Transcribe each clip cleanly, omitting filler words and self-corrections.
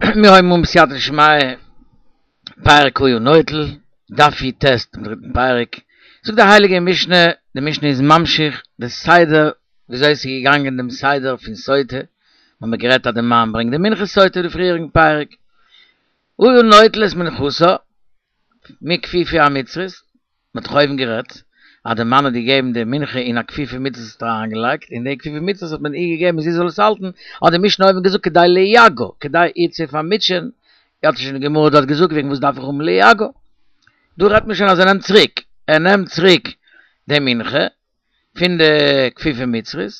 מיר הויבן אן בסייעתא דשמיא, פרק הוא נוטל, דף י"ט דעם דריטן פרק, זאגט די הייליגע משנה, די משנה איז ממשיך די סדר וויאזוי עס איז געגאנגען דעם סדר פון סוטה, מיר האבן גערעדט אז די מאן ברענגט די מנחת סוטה די פריעריגן פרק, היה נוטל את מנחתה מכפיפה המצרית, מען האט דאך אויבן גערעדט אז די מאן האט געגעבן די מנחה אין א כפיפה מצרית האט ער אריינגעלייגט, און די כפיפה מצרית האט מען איר געגעבן זי זאל עס האלטן, האט די משנה אויבן געזאגט כדי ליגעה, כדי איר צו פארמוטשען, האט שוין די גמרא דארט געזאגט וועגן וואס דארף איך האבן ליגעה, דא רעדט מען שוין אז ער נעמט צוריק, ער נעמט צוריק די מנחה פון די כפיפה מצרית,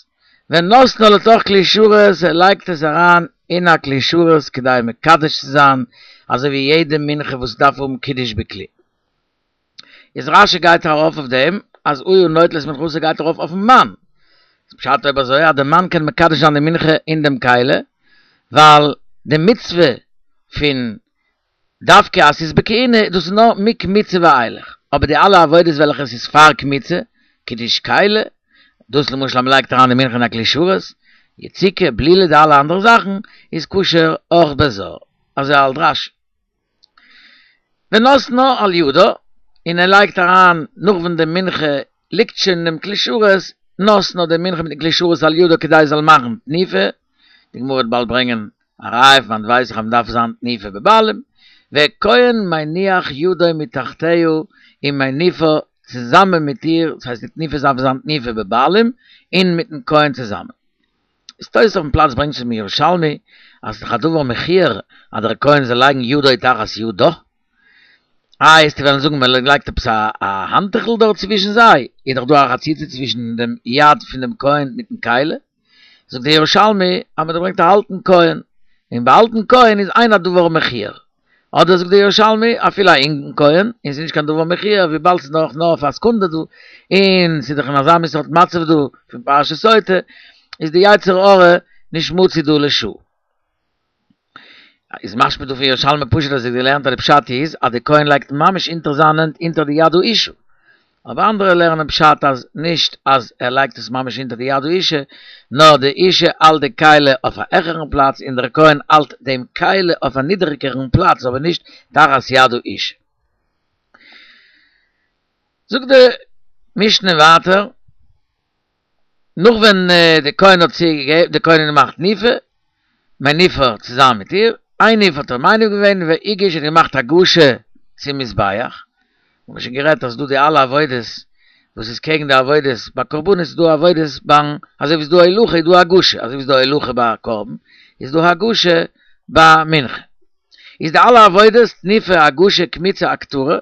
ונותנה לתוך כלי שרת, ער לייגט עס אריין אין א כלי שרת כדי מקדש צו זיין, אזוי ווי יעדע מנחה וואס דארף האבן קידוש בכלי. איז רש"י גייט ארויף אויף דעם אז היה נוטל את מנחתה גייט ארויף אויפן מאן. איז פשט אויב אזוי אז די מאן קען מקדש זיין די מנחה אין דעם כלי, ווייל די מצוה פון דווקא אז ס'איז בכהונה דאס איז נאר מקמיצה ואילך, אבער די אלע עבודות וועלכע עס איז פאר קמיצה, קידוש כלי, דאס למשל אז מ'לייגט אריין די מנחה אין א כלי שרת, יציקה, בלילה די אלע אנדערע זאכן איז כשר אויך בזר, אזוי האלט רש"י. ונותנה על ידה, און ער לייגט אריין נאך ווען די מנחה ליגט שוין אינעם כלי שרת, נותנה די מנחה מיטן כלי שרת על ידה כדי עס זאל מאכן תנופה, די גמרא וועט באלד ברענגען א ראיה פון וואנעט ווייס איך אז מען דארף זיין תנופה בבעלים, וכהן מניח ידו מתחתיה ומניפה צוזאמען מיט איר, דאס הייסט די תנופה דארף זיין תנופה בבעלים און מיטן כהן צוזאמען. איז תוס' אויפן פלאץ ברענגט צום ירושלמי אז ס'איז דאך א דבר מכוער אז דער כהן זאל לייגן ידו תחת ידה. איי וועסטו וועלן זאגן מען לייגט עפעס א האנטעכל דארט צווישן זיי, איז דאך דא א חציצה צווישן דעם יד פון דעם כהן מיטן כלי. זאגט דער ירושלמי אז מען ברענגט א אלטן כהן, און ביי אלטן כהן איז אין הדבר מכוער. אדער זאגט דער ירושלמי, אפילו א אינגן כהן, און ס'איז נישט קיין דבר מכוער וויבאלד ס'איז נאך נאר אויף א סעקונדע דא, און ס'איז דאך אין אזא מין סארט מצב דא פון פרשת סוטה, איז די יצר הרע נישט מצוי דא לשעה. איז משמע דא פון ירושלמי פשוט אז ער האט געלערנט אז די פשט איז אז די כהן לייגט ממש אונטער זיין הענט אונטער די יד האישה. אבער אנדערע לערנען פשט אז נישט אז ער לייגט עס ממש אונטער די יד האישה, נאר די אישה האלט די כלי אויף א העכערן פלאץ און דער כהן האלט דעם כלי אויף א נידעריגערן פלאץ אבער נישט תחת יד האישה. זאגט די משנה ווייטער. נאך ווען די כהן האט צוגעגעבן, די כהן האט געמאכט תנופה, מניפה צוזאמען מיט איר, הניף האט ער מניף געווען והגיש האט געמאכט הגשה צום מזבח, האבן מיר שוין גערעדט אז ס'דא די אלע עבודות וואס איז קעגן די עבודות ביי קרבנות איז דא עבודות ביים אזוי ווי ס'איז דא הולכה איז דא הגשה, אזוי ווי ס'איז דא הולכה ביי קרבן איז דא הגשה ביי מנחה, איז די אלע עבודות תנופה הגשה קמיצה הקטרה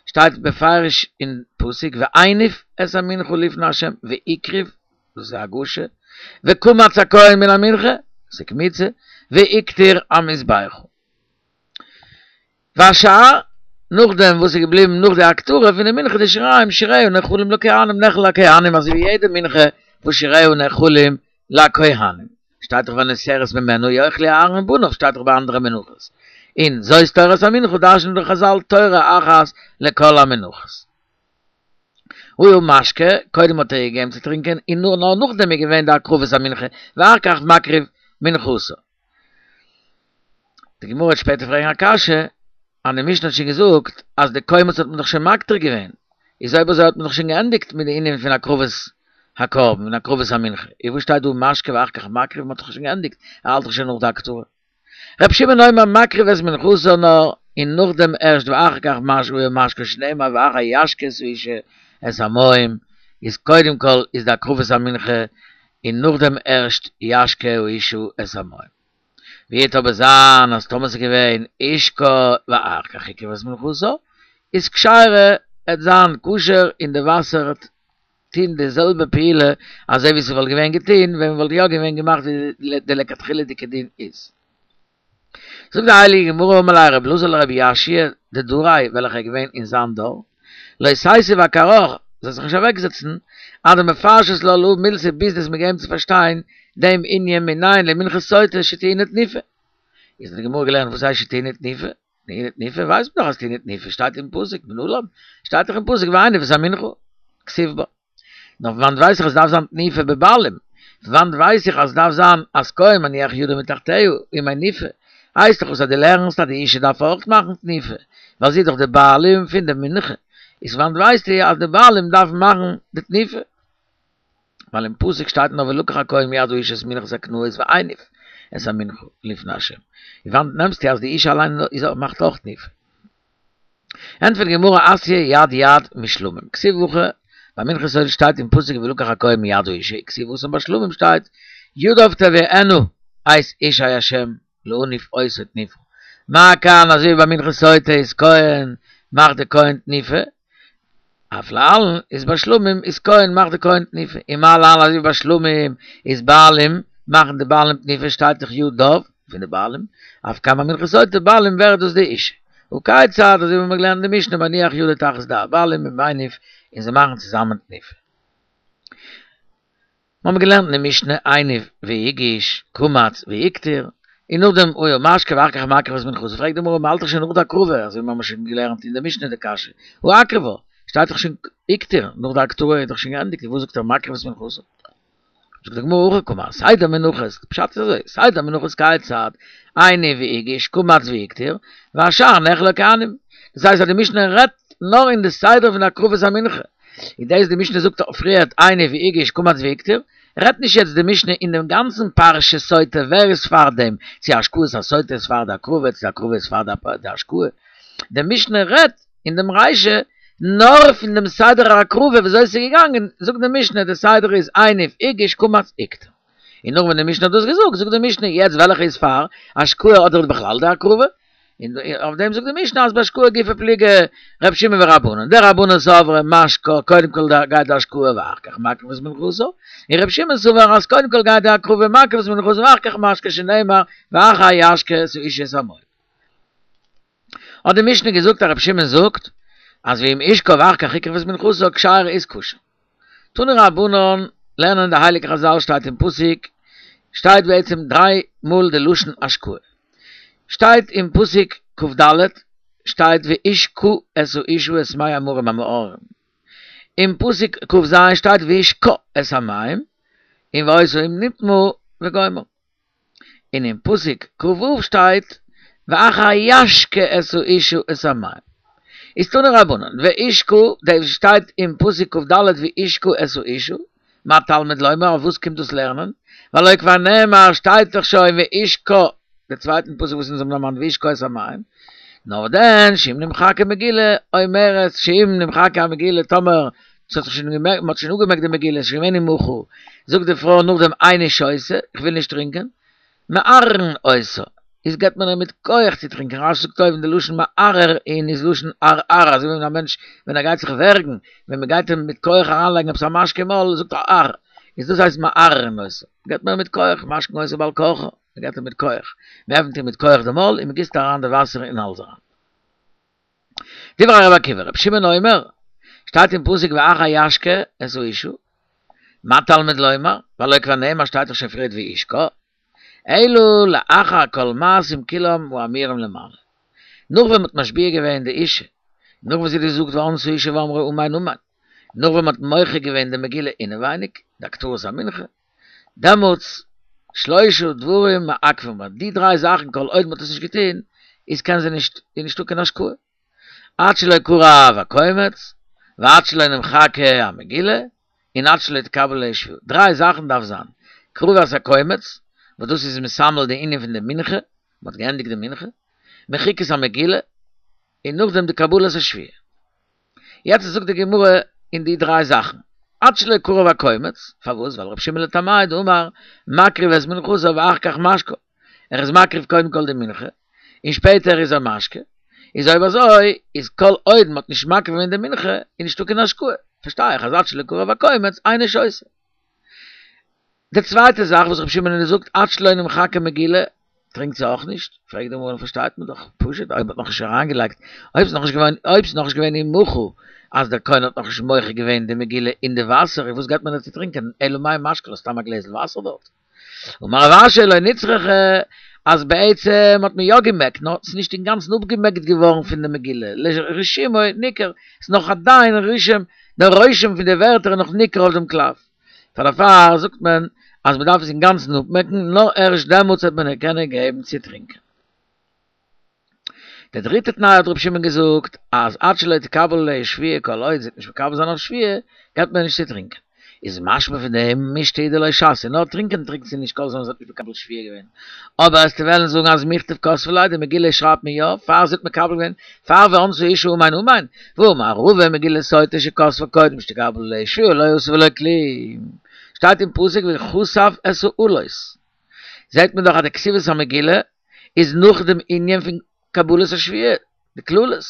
שטייט בפירוש אין פסוק והניף את המנחה לפני ה' והקריב, דאס איז הגשה, וקמץ הכהן מן המנחה, דאס איז קמיצה, והקטיר המזבחה. והשאר, נאכדעם וואס איז געבליבן נאך די הקטרה פון די מנחה די שיריים שיריה נאכלים לכהנים נאכל לכהנים אזוי ווי יעדע מנחה וואס שיריה נאכלים לכהנים, שטייט דאך והנותרת ממנה יאכלו אהרן ובניו שטייט דאך ביי אנדערע מנחות, און זאת תורת המנחה דרש'נען דאך חזל תורה אחת לכל המנחות. היה משקה, קודם האט ער געגעבן צו טרינקען און נאר נאכדעם איז געווען די הקרבת המנחה, ואחר כך מקריב מנחתו. די גמרא וועט שפעטער פרעגן א קשיא, אז די משנה האט שוין געזאגט אז די קומץ האט מען דאך שוין מקטיר געווען, איז אויב אזוי האט מען דאך שוין געענדיגט מיט די ענין פון הקרבת הקרבן און הקרבת המנחה, איז וואס שטייט דא משקה ואחר כך מקריב, מען האט דאך שוין געענדיגט, ער האלט דאך שוין נאך די הקטרה. ר' שמעון אומר מקריב את מנחתו נאר און נאכדעם ערשט ואחר כך משקה משקה שנאמר ואחר ישק את האשה את המים, איז קודם כל איז די הקרבת המנחה און נאכדעם ערשט ישקה האשה את המים. ווי וועט אבער זיין אז טאמער ס'איז געווען השקה ואחר כך הקריב את מנחתו, איז כשרה, עט זיין כשר און די וואסער וועט טוהן די זעלבע פעולה אזוי ווי ס'וואלט געווען געטוהן ווען מ'וואלט יא געווען געמאכט ווי די לכתחילה'דיגע דין איז. זאגט די הייליגע גמרא אמר ליה רבי אלעזר לרבי יאשיה דדריה וועלכער איז געווען אין זיין דור, לא תיתיב אכרעך, זאלסט זיך נישט אוועקזעצן, עד דמפרשת לה להא מילתא ביז דו וועסט מיר געבן צו פארשטיין דעם ענין מנין למנחת סוטה שטעונה תנופה. איז האט די גמרא געלערנט וואס הייסט שטעונה תנופה? טעונה תנופה ווייסט מען דאך אז טעונה תנופה שטייט אין פסוק מנלן שטייט דאך אין פסוק והניף את המנחה כתיב בה. נאר פון וואנט ווייס איך אז ס'דארף זיין תנופה בבעלים? פון וואנט ווייס איך אז ס'דארף זיין אז כהן מניח ידו מתחתיה ומניפה? הייסט דאך וואס אז דו לערנסט אז די אישה דארף אויך מאכן תנופה, ווייל זי איז דאך די בעלים פון די מנחה, איז וואנעט ווייסטו אז די בעלים דארפן מאכן די תנופה? ווייל אין פסוק שטייט נאר ולקח הכהן מיד האשה את מנחת הקנאות והניף את המנחה לפני ה'. און וואנעט נעמסטו אז די אישה אליין איז מאכט אויך תנופה? ענטפערט די גמרא אתיא יד יד משלמים כתיב הכא ביי מנחת סוטה שטייט אין פסוק ולקח הכהן מיד האשה וכתיב התם ביי שלמים שטייט ידיו תביאינה את אישי ה' להניף אותו תנופה מה כאן אזוי ווי ביי מנחת סוטה איז כהן מאכט די כהן תנופה אף להלן איז ביי שלמים איז כהן מאכט די כהן תנופה און מה להלן אזוי ווי ביי שלמים איז בעלים מאכן די בעלים תנופה שטייט דאך ידיו פון די בעלים אף כאן ביי מנחת סוטה בעלים ווערט דאס די אישה וכיצד אזוי ווי מ'האט געלערנט אין די משנה מניח ידו תחת ידי הבעלים ומניף און זיי מאכן צוזאמען תנופה. מיר האבן געלערנט אין די משנה הניף והגיש, קמץ והקטיר, און נאכדעם היה משקה ואחר כך מקריב את מנחתו, פרעגט די גמרא מ'האלט דאך שוין נאך די הקרבה, אזוי ווי מיר האבן שוין געלערנט אין די משנה די קשיא, הא אקרבה, שטייט דאך שוין הקטיר, נאך די הקטרה איז דאך שוין געענדיגט, וואס זאגט ער מקריב את מנחתו? זאגט די גמרא הכי קאמר, סדר מנחות, פשט איז אזוי, סדר מנחות כיצד, הניף והגיש, קמץ והקטיר, והשאר נאכל לכהנים, דאס הייסט אז די משנה רעדט נאר אין די סדר פון הקרבת המנחה, און דאס די משנה זאגט פריערט הניף והגיש קמץ והקטיר, רעדט נישט יעצט די משנה אין דעם גאנצן פרשת סוטה ווער איז פאר דעם, צו השקאת הסוטה איז פאר די הקרבה צו די הקרבה איז פאר די השקאה, די משנה רעדט אין דעם רישא נאר פון דעם סדר ההקרבה וויאזוי עס איז געגאנגען, זאגט די משנה די סדר איז הניף הגיש קמץ הקטיר. און נאך ווען די משנה האט דאס געזאגט, זאגט די משנה יעצט וועלכע איז פאר, השקאה אדער בכלל די הקרבה? און אויף דעם זאגט די משנה אז בהשקאה גופא פליגי ר' שמעון ורבנן, דרבנן סברי משקה קודם כל גייט די השקאה ואחר כך מקריב את מנחתו, און ר' שמעון סבר אז קודם כל גייט די הקרבה מקריב את מנחתו ואחר כך משקה שנאמר ואחר ישקה את האשה את המים. האט די משנה געזאגט אז ר' שמעון זאגט אז ואם השקה ואחר כך הקריב את מנחתו כשרה איז כשר. תנו רבנן, לערנען די הייליגע חזל שטייט אין פסוק, שטייט בעצם דריי מאל די לשון השקאה. שטייט אין פסוק כ"ד שטייט והשקה את האשה את מי המרים המאררים. אין פסוק כ"ז שטייט והשקה את המים, און והיתה אם נטמאה וגומר. און אין פסוק כ"ו שטייט ואחר ישקה את האשה את המים. איז תנו רבנן, והשקה, דאס שטייט אין פסוק כ"ד והשקה את האשה, מה תלמוד לומר, אויף וואס קומט דאס לערנען? והלא כבר נאמר שטייט דאך שוין והשקה, די צווייטן פסוק וואס אונז האבן דערמאנט והשקה את המים, נאר דען שאם נמחקה מגילה אומרת שאם נמחקה המגילה טאמער ס'האט זיך שוין געמעקט, מ'האט שוין אפגעמעקט די מגילה, ס'איז שוין געווען ומחה, זאגט די פרוי נאכדעם איני שותה, איך וויל נישט טרינקען, מערערין אותה, איז געבט מען איר מיט כח צו טרינקען, רש"י זאגט אויבן די לשון מערערין איז לשון ערערה, אזוי ווי ווען א מענטש ווען ער גייט זיך ווערגן, ווען מ'גייט אים מיט כח אריינלייגן עפעס א משקה אין מויל, זאגט ער אר, איז דאס הייסט מערערין אותה, געבט מען איר מיט כח, משקין אותה בעל כרחה, מ'געבט איר מיט כח, מ'עפנט איר מיט כח די מויל און מ'גיסט אריין די וואסער אין האלז אריין. דברי רבי עקיבא, רבי שמעון אומר, שטייט אין פסוק ואחר ישקה את האשה, מה תלמוד לומר, והלא כבר נאמר שטייט דאך שוין פריערט והשקה, אלא לאחר כל מעשים כולם האמורים למעלה. נאך ווען מ'האט משביע געווען די אישה, נאך וואס זי האט געזאגט וענתה האשה ואמרה אמן אמן, נאך ווען מ'האט מוחק געווען די מגילה אינעווייניג, די הקטרת המנחה, דעמאלטס שלושה דברים מעכבים בה, די דריי זאכן כל עוד מ'האט עס נישט געטון, איז קען זי נישט, איז נישטא קיין השקאה. עד שלא קרב הקומץ, ועד שלא נמחקה המגילה, און עד שלא תקבל עליה שבועה. דריי זאכן דארף זיין, קרבת הקומץ, וואס דאס איז מסמל די ענין פון די מנחה, מ'האט געענדיגט די מנחה, מחיקת המגילה, און נאכדעם די קבלת השבועה. יעצט זאגט די גמרא אין די דריי זאכן, עד שלא קרב הקומץ, פארוואס? ווייל רבי שמעון לטעמיה דאמר מקריב את מנחתו ואחר כך משקה, ער איז מקריב קודם כל די מנחה, און שפעטער איז ער משקה, איז אויב אזוי איז כל עוד מ'האט נישט מקריב געווען די מנחה איז נישטא קיין השקאה, פארשטיי איך אז עד שלא קרב הקומץ אינה שותה. די צווייטע זאך וואס רבי שמעון האט געזאגט עד שלא נמחקה מגילה, טרינקט זי אויך נישט, פרעגט די גמרא פארשטייט מען דאך פשוט אויב מ'האט נאכנישט אריינגעלייגט, אויב ס'איז נאכנישט געווען, אויב ס'איז נאכנישט געווען ומחה אז דער כהן האט נאכנישט מוחק געווען די מגילה אין די וואסער, איז וואס גייט מען דא צו טרינקען, אלא מאי משקה לה סתם א גלעזל וואסער דארט. אמר רב אשי לא נצרכה אז בעצם האט מען יא געמעקט נאר ס'איז נישט אינגאנצן אפגעמעקט געווארן פון די מגילה, לרישומו ניכר, ס'איז נאך עדיין רישום, דער רושם פון די ווערטער איז נאך ניכר אויף דעם קלף. פאר דערפאר זאגט מען אז מען דארף עס אינגאנצן אפמעקן, נאר ערשט דעמאלטס וועט מען איר קענען געבן צו טרינקען. די דריטע תנאי האט רבי שמעון געזאגט אז עד שלא תקבל עליה שבועה כל עוד זי וועט נישט מקבל זיין אויף שבועה געבט מען נישט צו טרינקען. איז משמע פון דעם משתה הוא דלא שתיא נאר טרינקען טרינקט זי נישט כל זמן זי האט נישט מקבל שבועה געווען. אבער וועסטו וועלן זאגן אז מיכתב כתבי לה די מגילה שרייבט מען יא פאר זי האט מקבל געווען פאר וענתה האשה אמן אמן והאמר רבא מגילת סוטה שכתבה קודם שתקבל עליה שבועה לא עשו ולא כלום שטייט אין פסוק וכתב את האלות זעהט מען דאך אז די כתיבת המגילה איז נאך דעם ענין פון קבלת השבועה, די קללות.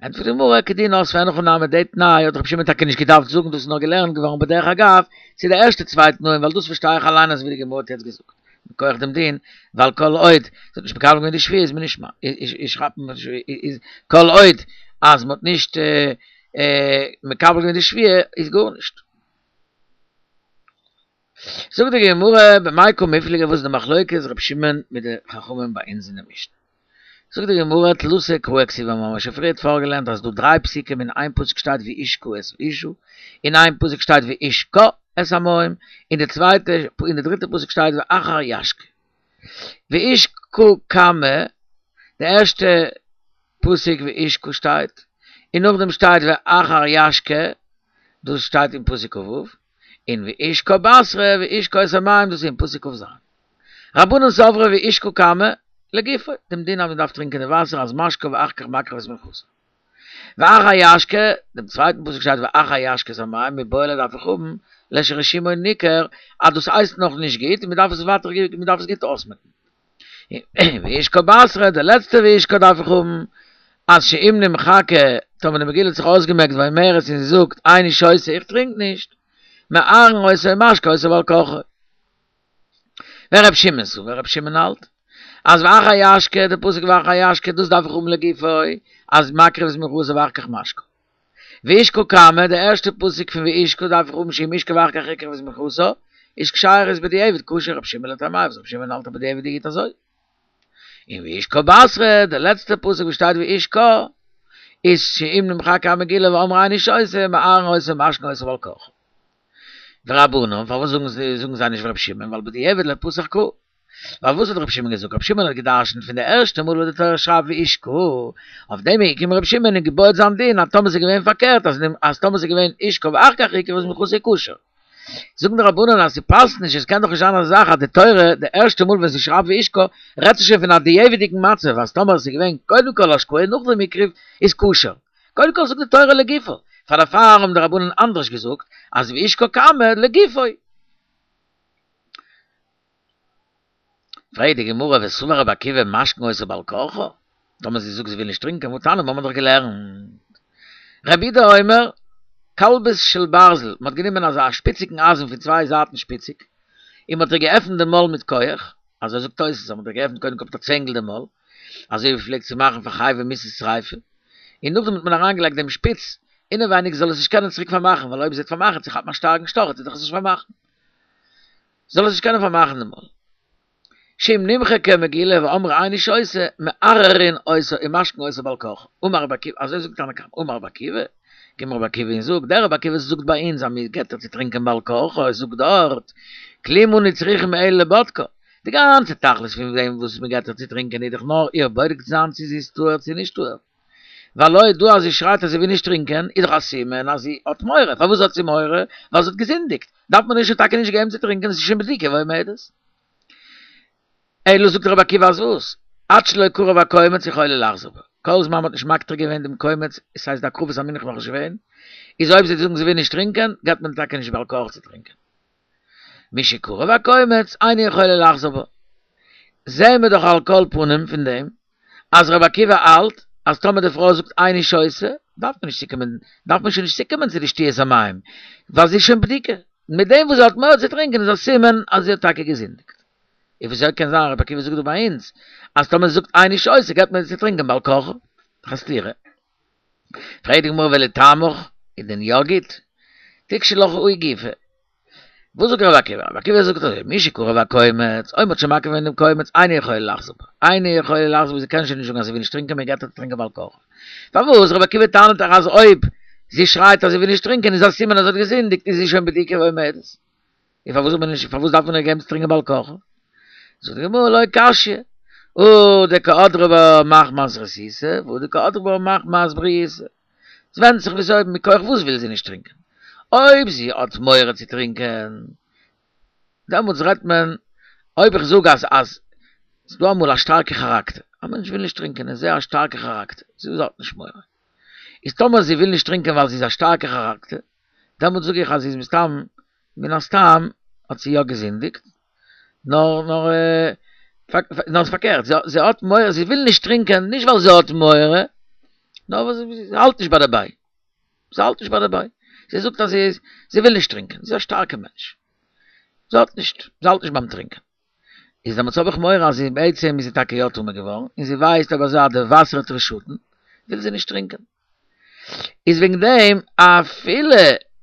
ענטפערט די גמרא, כדין אותבה אין הכי נמי, די תנאי האט רבי שמעון טאקע נישט געדארפט זאגן, דאס איז נאר געלערנט געווארן בדרך אגב צו די ערשטע צוויי תנאים, ווייל דאס פארשטיי איך אליין אזוי ווי די גמרא האט יעצט געזאגט, מכח דעם דין, ווייל כל עוד זי האט נישט מקבל געווען די שבועה איז מען נישט איז כל עוד אז מען האט נישט מקבל געווען די שבועה איז גארנישט. זאגט די גמרא במאי קא מיפלגי וואס איז די מחלוקת רבי שמעון מיט די חכמים ביי אונז אין די משנה? זאגט די גמרא תלתא קראי כתיבי מ'האט שוין פריערט פארגעלערנט אז ס'דא דריי פסוקים אין איין פסוק שטייט וישקה את האשה אין איין פסוק שטייט וישקה את המים אין די צווייטע אין די דריטע פסוק שטייט ואחר ישקה וישקה קמא די ערשטע פסוק וישקה שטייט און נאכדעם שטייט ואחר ישקה דאס שטייט אין פסוק כ"ו און וישקה בתרא וישקה את המים דאס איז אין פסוק כ"ז. רבנן סברי וישקה קמא לגופו, דעם דין אז מען דארף טרינקען די וואסער אז משקה ואחר כך מקריב את מנחתו. ואחר ישקה, דעם צווייטן פסוק שטייט ואחר ישקה את המים, מיבעי ליה דארף איך האבן לרשימו ניכר אז דאס הייסט נאך נישט גוט און מען דארף עס ווייטער מען דארף עס גוט אויסמעקן. וישקה בתרא, די לעצטע וישקה דארף איך האבן, אז שאם נמחקה, טאמער די מגילה האט זיך אויסגעמעקט ואומרת און זי זאגט, איני שותה איך טרינק נישט, מערערין אותה ומשקין אותה בעל כרחה. ור' שמעון סבר, ר' שמעון האלט, אז ואחר ישקה, די פסוק ואחר ישקה, דאס דארף איך האבן לגופו, אז מקריב את מנחתו ואחר כך משקה. וישקה קמא, די ערשטע פסוק פון וישקה דארף איך האבן שאם השקה ואחר כך הקריב את מנחתו, איז כשרה איז בדיעבד כשר רבי שמעון לטעמיה וואס רבי שמעון האלט אז בדיעבד איז גוט אזוי. און וישקה בתרא, די לעצטע פסוק וואס שטייט וישקה, איז שאם נמחקה המגילה ואמרה איני שותה, מערערין אותה ומשקין אותה בעל כרחה. ורבנן, פארוואס זאגן זיי נישט ווי רבי שמעון, ווייל בדיעבד לא פתח קרא. ווייל וואס האט רבי שמעון געזאגט? רבי שמעון האט גע'דרש'נט פון די ערשטע מאל וואס די תורה שרייבט וישקה, אויף דעם איז געקומען רבי שמעון און געבויעט זיין דין אז טאמער ס'איז געווען פארקערט אז אז טאמער ס'איז געווען השקה ואחר כך הקריב את מנחתו כשר. זאגן די רבנן אז ס'פאסט נישט, עס קען דאך נישט זיין אזא זאך אז די תורה די ערשטע מאל ווען זי שרייבט וישקה רעדט זי שוין פון א דיעבד'יגן מצב אז טאמער עס איז געווען קודם כל השקאה און נאכדעם הקריב איז כשר. קודם כל זאגט די תורה לגופו. פאר דערפאר האבן די רבנן אנדערש געזאגט אז וישקה קמא לגופו. פרעגט די גמרא וסבר רבי עקיבא משקין אותה בעל כרחה, טאמער זי זאגט זי וויל נישט טרינקען והתניא האבן מיר דאך געלערנט רבי יהודה אומר כלבית של ברזל, מען האט גענומען אזא שפיציגן אייזן פון צוויי זייטן שפיציג, און מען האט איר געעפנט די מויל מיט כח, אזוי זאגט תוס' אז מען האט איר געעפנט קודם כל מיט א צענגל די מויל, אזוי ווי מ'פלעגט צו מאכן פאר חייבי מיתות שריפה, און נאכדעם האט מען אריינגעלייגט דעם שפיץ אינעווייניג זאל עס נישט קענען צוריק פארמאכן, ווייל אויב זי וועט פארמאכן צו כאפן א שטארקן שטאך וועט זי דאך עס נישט פארמאכן. זאל עס נישט קענען פארמאכן די מויל. שאם נמחקה מגילה ואמרה איני שותה, מערערין אותה ומשקין אותה בעל כרחה. אמר רבי עקיבא, אזוי זאגט תנא קמא, אמר רבי עקיבא, קומט רבי עקיבא און זאגט, דער רבי עקיבא וואס זאגט ביי אונז אז מען געבט איר צו טרינקען בעל כרחה, זאגט דארט, כלום אנו צריכים אלא לבודקה. די גאנצע תכלית פון דעם וואס מען געבט איר צו טרינקען איז דאך נאר איר בודק צו זיין צו זי איז טהור צו נישט טהור. ווייל אויב דא אז זי שרייט אז זי וויל נישט טרינקען איז דאך א סימן אז זי האט מורא, פארוואס האט זי מורא? ווייל זי האט געזינדיגט, דארף מען איר שוין טאקע נישט געבן צו טרינקען, עס איז שוין בדוקה ועומדת. אלא זאגט רבי עקיבא אז וואס? עד שלא קרב הקומץ יכולה לחזור בה, כל זמן מ'האט נישט מקטיר געווען דעם קומץ, עס הייסט די הקרבת המנחה נאך נישט געווען, איז אויב זי וועט זאגן זי וויל נישט טרינקען, געבט מען טאקע נישט בעל כרחה צו טרינקען. משקרב הקומץ אינה יכולה לחזור בה. זעהן מיר דאך על כל פנים פון דעם אז רבי עקיבא האלט אז טאמער די פרוי זאגט איני שותה דארף מען נישט צוקומען דארף מען שוין נישט צוקומען צו די שתיית המים ווייל זי איז שוין בדוקה, מיט דעם וואס זי האט מורא צו טרינקען איז א סימן אז זי האט טאקע געזינדיגט. און וויאזוי קען זיין רבי עקיבא זאגט דא ביי אונז אז טאמער זי זאגט איני שותה געבט מען איר צו טרינקען בעל כרחה? דאך א סתירה. פרעגט די גמרא ולטעמיך איז דען יא גוט? תיקשי לך ההיא גופא. וואס זאגט רבי עקיבא? רבי עקיבא זאגט אזוי, משקרב הקומץ, אויב מ'האט שוין מקריב געווען דעם קומץ, אינה יכולה לחזור בה, אינה יכולה לחזור בה, זי קען שוין נישט זאגן אז זי וויל נישט טרינקען, מען געבט איר צו טרינקען בעל כרחה. פארוואס? רבי עקיבא טענה'ט דאך אז אויב זי שרייט אז זי וויל נישט טרינקען איז א סימן אז זי האט געזינדיגט, איז זי שוין בדוקה ועומדת. און פארוואס זאל מען נישט, פארוואס דארף מען איר געבן צו טרינקען בעל כרחה? זאגט די גמרא לא קשיא. הא דקא הדרה בה מחמת רתיתא והא דקא הדרה בה מחמת בריותא. ס'ווענדט זיך וויאזוי מכח וואס וויל זי נישט טרינקען. אויב זי האט מורא צו טרינקען דעמאלטס רעדט מען אויב איך זאג אז אז ס'דא אמאל א שטארקע כאראקטער, א מענטש וויל נישט טרינקען איז זייער א שטארקע כאראקטער, זי האט נישט מורא. איז טאמער זי וויל נישט טרינקען ווייל זי איז א שטארקע כאראקטער, דעמאלטס זאג איך אז זי איז מסתם מן הסתם האט זי יא געזינדיגט, נאר נאר נאר פארקערט, זי האט מורא, זי וויל נישט טרינקען נישט ווייל זי האט מורא, נאר ווייל זי האלט נישט ביי דערביי, זי האלט נישט ביי דערביי, זי זאגט אז זי איז, זי וויל נישט טרינקען, זי איז א שטארקע מענטש, זי האט נישט, זי האלט נישט ביים טרינקען. איז דעמאלטס האב איך מורא אז זי בעצם איז זי טאקע יא טמא געווארן, און זי ווייסט אויב אזוי אז די וואסער וועט איר שאטן, וויל זי נישט טרינקען. איז וועגן דעם אפילו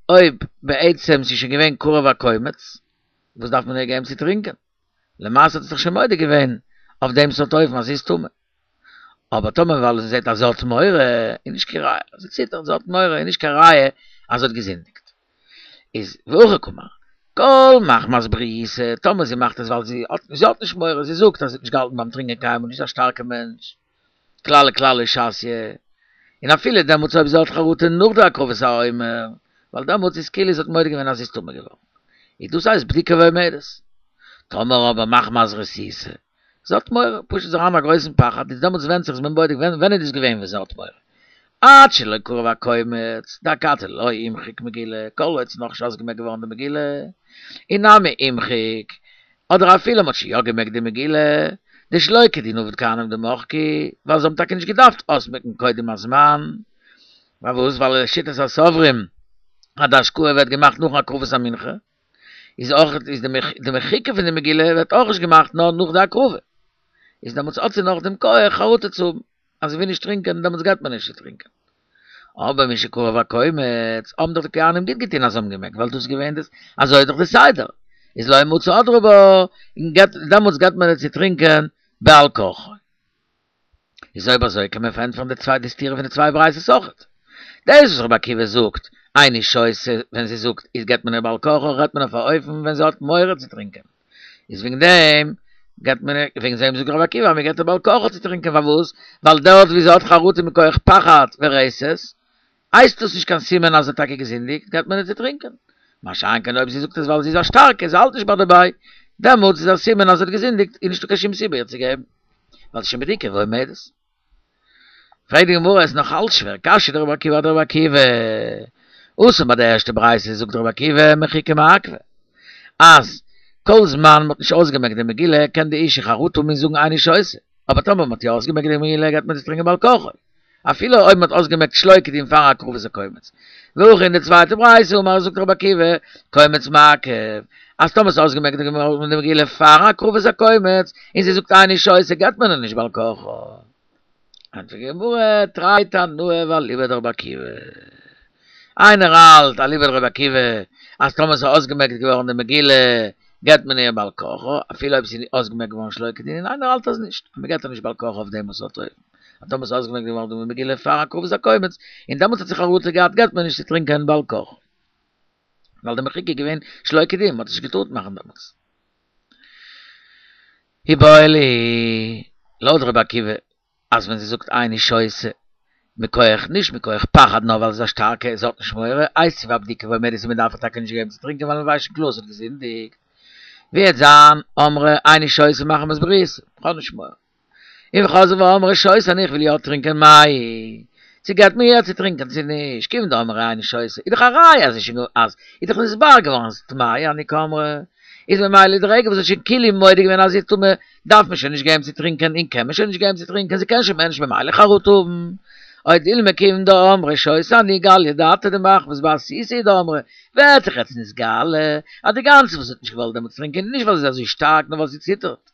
אויב בעצם ס'איז שוין געווען קרב הקומץ, וואס דארף מען איר געבן צו טרינקען? למעשה האט זי זיך שוין מודה געווען אויף דעם סארט אופן אז זי איז טמא. אבער טאמער ווייל זי זעט אז זי האט מורא, איז נישט קיין ראיה, זי ציטערט, זי האט מורא, איז נישט קיין ראיה אז זי האט געזינדיגט. איז והכי קאמר, כל מחמת בריותא, טאמער זי מאכט עס ווייל זי האט, זי האט נישט מורא, זי זאגט אז זי האט נישט געהאלטן ביים טרינקען קיינמאל, נישט א שטארקע מענטש, כלל וכלל לא שתיא, און אפילו דעמאלטס אויב זי האט חרטה נאך די הקרבת העומר, ווייל דעמאלטס איז כאילו זי האט מודה געווען אז זי איז טמא געווארן, איז דאס הייסט בדוקה ועומדת. טאמער אבער מחמת רתיתא, זי האט מורא, פשוט זי האט א גרויסן פחד, איז דעמאלטס ווענדט זיך איז מען בודק ווען איז דאס געווען ווען זי האט מורא. עד שלא קרב הקומץ, דאכתי לא אימחיק מגילה, כל עוד ס'איז נאכנישט אויסגעמעקט געווארן די מגילה, אי נמי אימחיק, אדער אפילו מ'האט שוין יא געמעקט די מגילה, דשלא כדין עבוד כהנים דמחקי, ווייל זיי האבן טאקע נישט געדארפט אויסמעקן קודם הזמן, פארוואס? ווייל לשיטת הסוברים אז די השקאה ווערט געמאכט נאכן הקרבת המנחה, איז אויך איז די מחיקה פון די מגילה ווערט אויך נישט געמאכט נאר נאך די הקרבה, איז דעמאלטס האט זי נאך דעם כח חרטה צו האבן אז זי וויל נישט טרינקען דעמאלטס געבט מען נישט צו טרינקען. אבער משקרב הקומץ האבן דאך די כהנים גוט געטון אז זיי האבן געמעקט ווייל דאס איז געווען דאס אזוי איז דאך די סדר איז לא מצי הדרה בה און געבט דעמאלטס געבט מען איר צו טרינקען בעל כרחו. איז אויב אזוי קען מען פארענטפערן די צוויי די סתירה פון די צוויי ברייתות אויכעט. דאס וואס רבי עקיבא זאגט איני שותה ווען זי זאגט איז געבט מען איר בעל כרחו רעדט מען אויף א אופן ווען זי האט מורא צו טרינקען איז וועגן דעם געבט מען איר וועגן דעם זאגט רבי עקיבא אז מען געבט איר בעל כרחו צו טרינקען פארוואס ווייל דארט ווי זי האט חרטה מכח פחד ורתת הייסט דאס נישט קיין סימן אז זי האט טאקע געזינדיגט, געבט מען איר צו טרינקען. מה שאין כן אויב זי זאגט עס ווייל זי איז א שטארקע, זי האלט נישט ביי דערביי, דעמאלטס איז א סימן אז זי האט געזינדיגט, איז נישטא קיין שום סיבה איר צו געבן, ווייל ס'איז שוין בדוקה ועומדת. פרעגט די גמרא, עס איז נאך אלץ שווער, קשיא דרבי עקיבא אדרבי עקיבא. התם ביי די ערשטע ברייתא זאגט רבי עקיבא מחיקה מעכבא, אז כל זמן מ'האט נישט אויסגעמעקט די מגילה קען די אישה חרטה האבן און זאגן איני שותה, אבער טאמער מ'האט יא אויסגעמעקט די מגילה געבט מען צו טרינקען בעל כרחו. אפילו אויב מ'האט אויסגעמעקט שלא כדין פאר הקרבת הקומץ. והכא אין די צווייטע ברייתא אמר זאגט רבי עקיבא, קומץ מעכב, אז טאמער ס'איז אויסגעמעקט געווארן די מגילה פאר הקרבת הקומץ, און זי זאגט איני שותה געבט מען איר נישט בעל כרחו. ענטפערט די גמרא, תרי תנאי ואליבא דרבי עקיבא. איינער האלט אליבא דרבי עקיבא אז טאמער ס'איז אויסגעמעקט געווארן די מגילה געבט מען איר בעל כרחו, אפילו אויב ס'איז אויסגעמעקט געווארן שלא כדין, און איינער האלט אז נישט, אז מ'געבט איר נישט בעל כרחו אויף דעם סארט אופן. אז טאמער ס'איז אויסגעמעקט געווארן די מגילה פאר הקרבת הקומץ, און דעמאלטס האט זי חרטה געהאט געבט מען נישט צו טרינקען בעל כרחו. ווייל די מחיקה איז געווען שלא כדין, מ'האט עס נישט געטארט מאכן דעמאלטס. איבעיא להו, לויט רבי עקיבא, אז ווען זי זאגט איני שותה, מכח, נישט מכח פחד נאר ווייל זי איז א שטארקע, זי האט נישט מורא, איתיביה אבדוקה ועומדת און מ'דארף איר טאקע נישט געבן צו טרינקען ווייל מ'ווייסט שוין קלאר זי האט געזינדיגט. ווי וועט זיין אמרה איני שותה מחמת בריותא, כ'האב נישט מורא. און וחזרה ואמרה שותה אני איך וויל יא טרינקען מאי, צו געבט מען איר צו טרינקען צו נישט, כיוון דאמרה איני שותה, איז דאך א ראיה אז אז איז דאך נתברר געווארן אז טמאה אני קאמרה, איז ממילא די רגע וואס זי האט שוין כאילו מודה געווען אז זי איז טמא, דארף מען שוין נישט געבן צו טרינקען און קען מען שוין נישט געבן צו טרינקען, זי קען שוין מער נישט ממילא חרטה האבן. או דילמא כיוון דאמרה שותה אני גליא דעתה דמחמת בעסיסא הוא דאמרה, ווערט דאך יעצט נתגלה אז די גאנצע וואס זי האט נישט געוואלט דעמאלטס טרינקען איז נישט ווייל זי איז אזוי שטארק נאר ווייל זי ציטערט.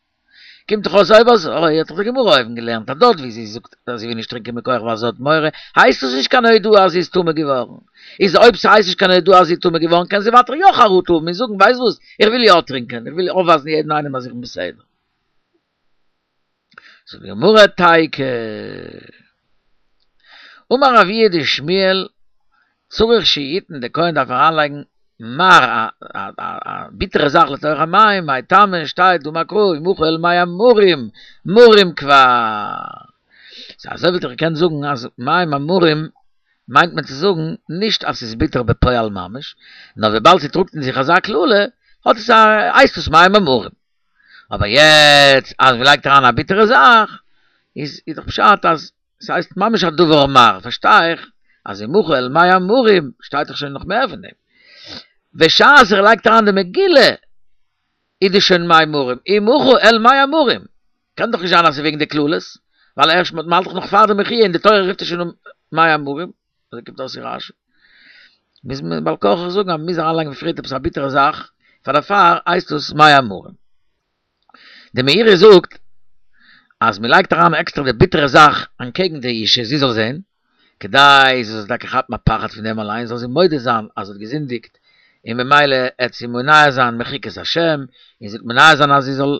קומט דאך אויס אויב אזוי האט דאך די גמרא אויבן געלערנט אז דארט ווי זי זאגט אז זי וויל נישט טרינקען מכח ווייל זי האט מורא, הייסט דאס נישט קיין הודאה אז זי איז טמא געווארן. איז אויב ס'הייסט נישט קיין הודאה אז זי איז טמא געווארן קען זי ווייטער יא חרטה האבן און זאגן ווייסט וואס, איך וויל יא טרינקען, איך וויל אויפווייזן יעדן איינעם אז איך בין בסדר. זאגט די גמרא תיקו. אמר אבוה דשמואל, צריך שיתן, די כהן דארף אריינלייגן. מר א א ביטערע זאך לתוך המים, מאי טעמא שטייט דאמר קרא ומחה אל מי המרים, מרים כבר. סא אזוי וואלט איך געקענט זאגן אז מים המרים מיינט מען צו זאגן נישט אז ס'איז ביטער בפועל ממש, נאר וויבאלד ס'טראגט אין זיך אזא קללה האט עס א הייסט עס מים המרים. אבער יעצט אז מ'לייגט אריין א ביטערע זאך איז איז דאך פשט אז ס'הייסט ממש א דבר מר, פארשטיי איך אז ומחה אל מי המרים שטייט דאך שוין נאך מער פון דעם. בשעת ער לייגט אריין די מגילה איז דאס שוין מים מרים, ומחה אל מי המרים. קען דאך נישט זיין אז ס'איז וועגן די קללות, ווייל ערשט מ'האלט דאך נאך פאר די מחי' און די תורה רופט עס שוין אן מי המרים. אזוי קומט אויס אין רש"י. מוז מען בעל כרחך זאגן אז מ'מוז אריינלייגן פריערט עפעס א ביטערע זאך, פאר דערפאר הייסט עס מי המרים. די מאירי זאגט אז מ'לייגט אריין עקסטער די ביטערע זאך אנטקעגן די אישה זי זאל זען, כדי זי זאל טאקע כאפן א פחד פון דעם אליין זאל זי מודה זיין אז זי האט געזינדיגט און ממילא עט זי מונע זיין מחיקת השם, און זי וועט מונע זיין אז זי זאל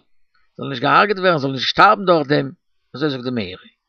זאל נישט געהארגעט ווערן, זאל נישט שטארבן דורך דעם, אזוי זאגט די מאירי.